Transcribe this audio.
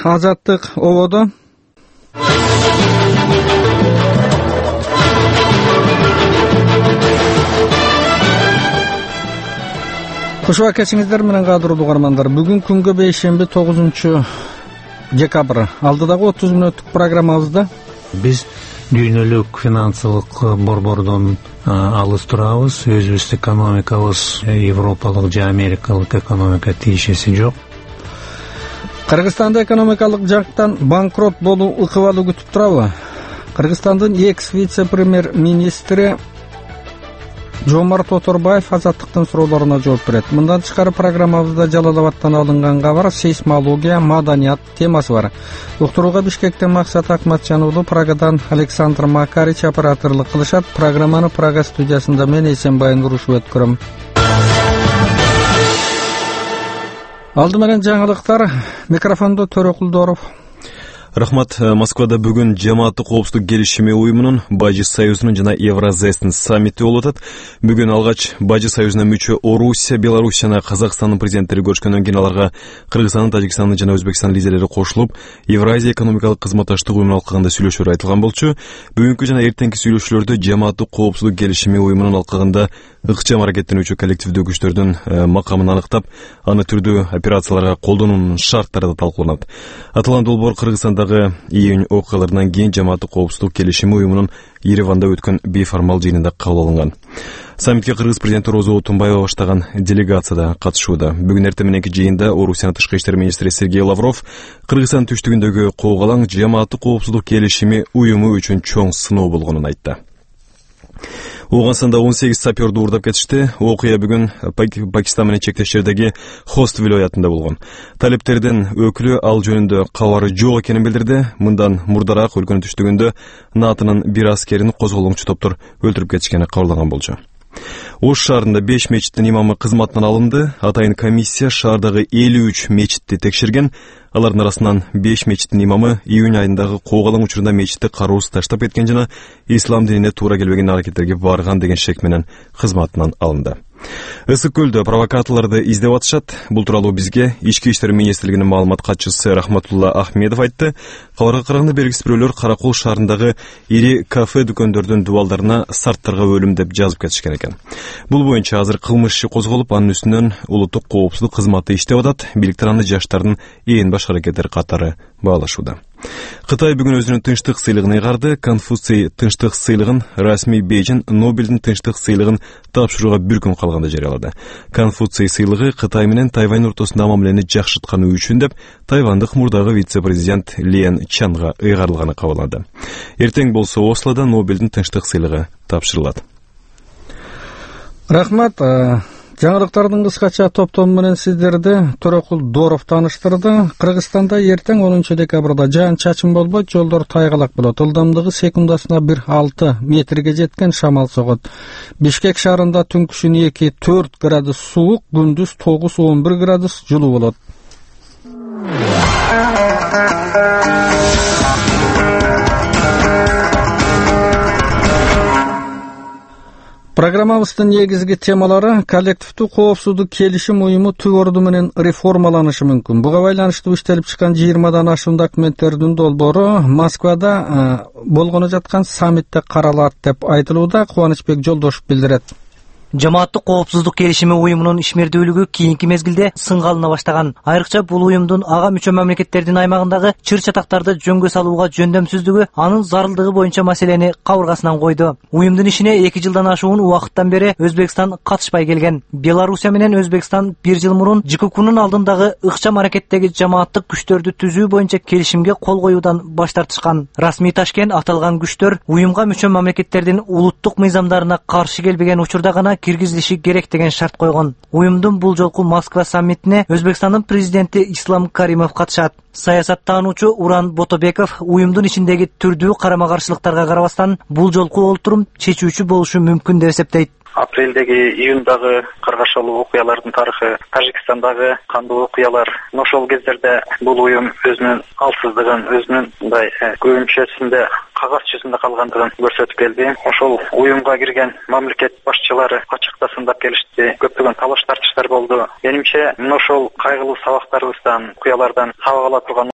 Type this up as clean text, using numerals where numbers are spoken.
Азаттык ободо. Кушуа кечиңиздер менен кадырлуу угармандар. Бүгүн күнгө бейшемби 9-декабрь. Алдыдагы 30 мүнөттүк программабызда биз дүйнөлүк финансылык борбордон алыс турабыз. Өзүбүздүн экономикабыз европалык же америкалык экономика тиешеси жок. Кыргызстанда экономикалык жактан банкрот болуу ыкыбалы күтүп турабы? Кыргызстандын экс вице-премьер-министри Жомарт Оторбаев Азаттыктын суроолоруна жооп берет. Мындан тышкары программабызда Жалал-Абадтан алынган кабар, сейсмология, маданият темасы бар. Уктурууга Бишкектен Максат Акматжан уулу, Прагадан Александр Макарич операторлук кылышат. Программаны Прага студиясында мен Эсенбай Нурушев өткөрөм. Алды менен жаңылыктар. Микрофондо Төрө Кулдоров. Рахмат. Москвада бүгүн Жамааттык коопсуздук келишими уюмунун, Бажы союзунун жана Евразэстин саммити болуп атат. Бүгүн алгач Бажы союзуна мүчө Орусия, Беларусь жана Казакстандын президенттери көрүшкөндөн кийин аларга Кыргызстандын, Тажикстандын жана Өзбекстандын лидерлери кошулуп, Евразия экономикалык кызматташтык уюмуна алкагында сүйлөшүүлөр айтылган болчу. Бүгүнкү жана эртеңки сүйлөшүүлөрдө Жамааттык коопсуздук келишими уюмунун алкагында ыкчам аракеттенүүчү коллективдүү күчтөрдүн макамын аныктап, аны түрдүү операцияларга колдонуунун шарттары да талкууланат. Аталган долбоор Кыргызстандагы июнь окуяларынан кийин Жамааттык коопсуздук келишими уюмунун Ереванда өткөн бейформал жыйынында кабыл алынган. Саммитке Кыргыз президенти Роза Отунбаева баштаган делегация да катышууда. Бүгүн эртең мененки жыйында Орусиянын тышкы иштер министри Сергей Лавров Кыргызстан түштүгүндөгү коогалаң Жамааттык коопсуздук келишими уюму үчүн чоң сыноо болгонун айтты. Оогансында 18 саперду уурдап кетишти. Окуя бүгүн Пакистан менен чектеш жердеги Хост вилоятында болгон. Талептердин өкүлү ал жөнүндө кабары жок экенин билдирди. Мындан мурдараак өлкөнүн түштүгүндө НАТОнун бир аскерин козголоңчу топтор өлтүрүп кетишкени кабарлаган болчу. Ош шаарында 5 мечиттин имамы кызматынан алынды. Атайын комиссия шаардагы 53 мечитти текшерген. Алардын арасынан 5 мечиттин имамы июнь айындагы коогалаң учурунда мечитти кароосуз таштап кеткен жана ислам динине туура келбеген аракеттерге барган деген шек менен кызматынан алынды. Ысык көлдө провокаторлорду издеп атышат. Бул тууралуу бизге Ички иштер министрлигинин маалымат катчысы Рахматулла Ахмедов айтты. Кабарга караганда белгисиз бирөөлөр Каракол шаарындагы ири кафе дүкөндөрдүн дубалдарына сарттарга өлүм деп жазып кетишкен экен. Бул боюнча азыр кылмыш иши козголуп, анын үстүнөн улуттук коопсуздук кызматы иштеп атат. Бийликтер аны жаштардын ээн баш аракеттери катары баалашууда. Кытай бүгүн өзүнүн тынчтык сыйлыгын ыйгарды. Конфуций тынчтык сыйлыгын расмий Бейжин Нобелдин тынчтык сыйлыгын тапшырууга бир күн калганда жарыялады. Конфуций сыйлыгы Кытай менен Тайвань ортосунда мамилени жакшыртканы үчүн деп тайвандык мурдагы вице-президент Лен Чанга ыйгарылганы кабарланды. Эртең болсо Ослода Нобелдин тынчтык сыйлыгы тапшырылат. Рахмат. Жаңылыктардын кыскача топтому менен сиздерди Төрө Кулдоров тааныштырды. Кыргызстанда эртең 10 декабрда жаан-чачын болбойт, жолдор тайгалак болот. Ылдамдыгы секундасына 1,6 метрге жеткен шамал согот. Бишкек шаарында түнкүсүн 2-4 градус суук, күндүз 9-11 градус жылуу болот. Программабыздын негизги темалары: коллективдүү коопсуздук келишим уюму түп орду менен реформаланышы мүмкүн. Буга байланыштуу иштелип чыккан 20дан ашуун документтердин долбоору Москвада болгону жаткан саммитте каралат деп айтылууда. Кубанычбек Жолдошев билдирет. Жамааттык коопсуздук келишими уюмунун ишмердүүлүгү кийинки мезгилде сынга алына баштаган. Айрыкча бул уюмдун ага мүчө мамлекеттердин аймагындагы чыр-чатактарды жөнгө салууга жөндөмсүздүгү анын зарылдыгы боюнча маселени кабыргасынан койду. Уюмдун ишине 2 жылдан ашуун убакыттан бери Өзбекстан катышпай келген. Белоруссия менен Өзбекстан 1 жыл мурун ЖККнун алдындагы ыкчам аракеттеги жамааттык күчтөрдү түзүү боюнча келишимге кол коюудан баш тартышкан. Расмий Ташкент аталган күчтөр уюмга мүчө мамлекеттердин улуттук мыйзамдарына каршы келбеген учурда гана киргизилиши керек деген шарт койгон. Уюмдун бул жолку Москва саммитине Өзбекстандын президенти Ислам Каримов катышат. Саясаттануучу Уран Ботобеков уюмдун ичиндеги түрдүү карама-каршылыктарга карабастан бул жолку олтурум чечүүчү болушу мүмкүн деп эсептейт. Апрелдеги, июндагы каргашалуу окуялардын тарыхы, Тажикстандагы кандуу окуялар, ошол кездерде бул уюм өзүнүн алсыздыгын, өзүнүн мындай көбүнчөсүндө кагаз жүзүндө калгандыгын көрсөтүп келди. Ошол уюмга кирген мамлекет башчылары ачыктасындап келишти. Көптөгөн талаш тартыштар болду. Менимче, ошол кайгылуу сабактарыбыздан, окуялардан сабак ала турган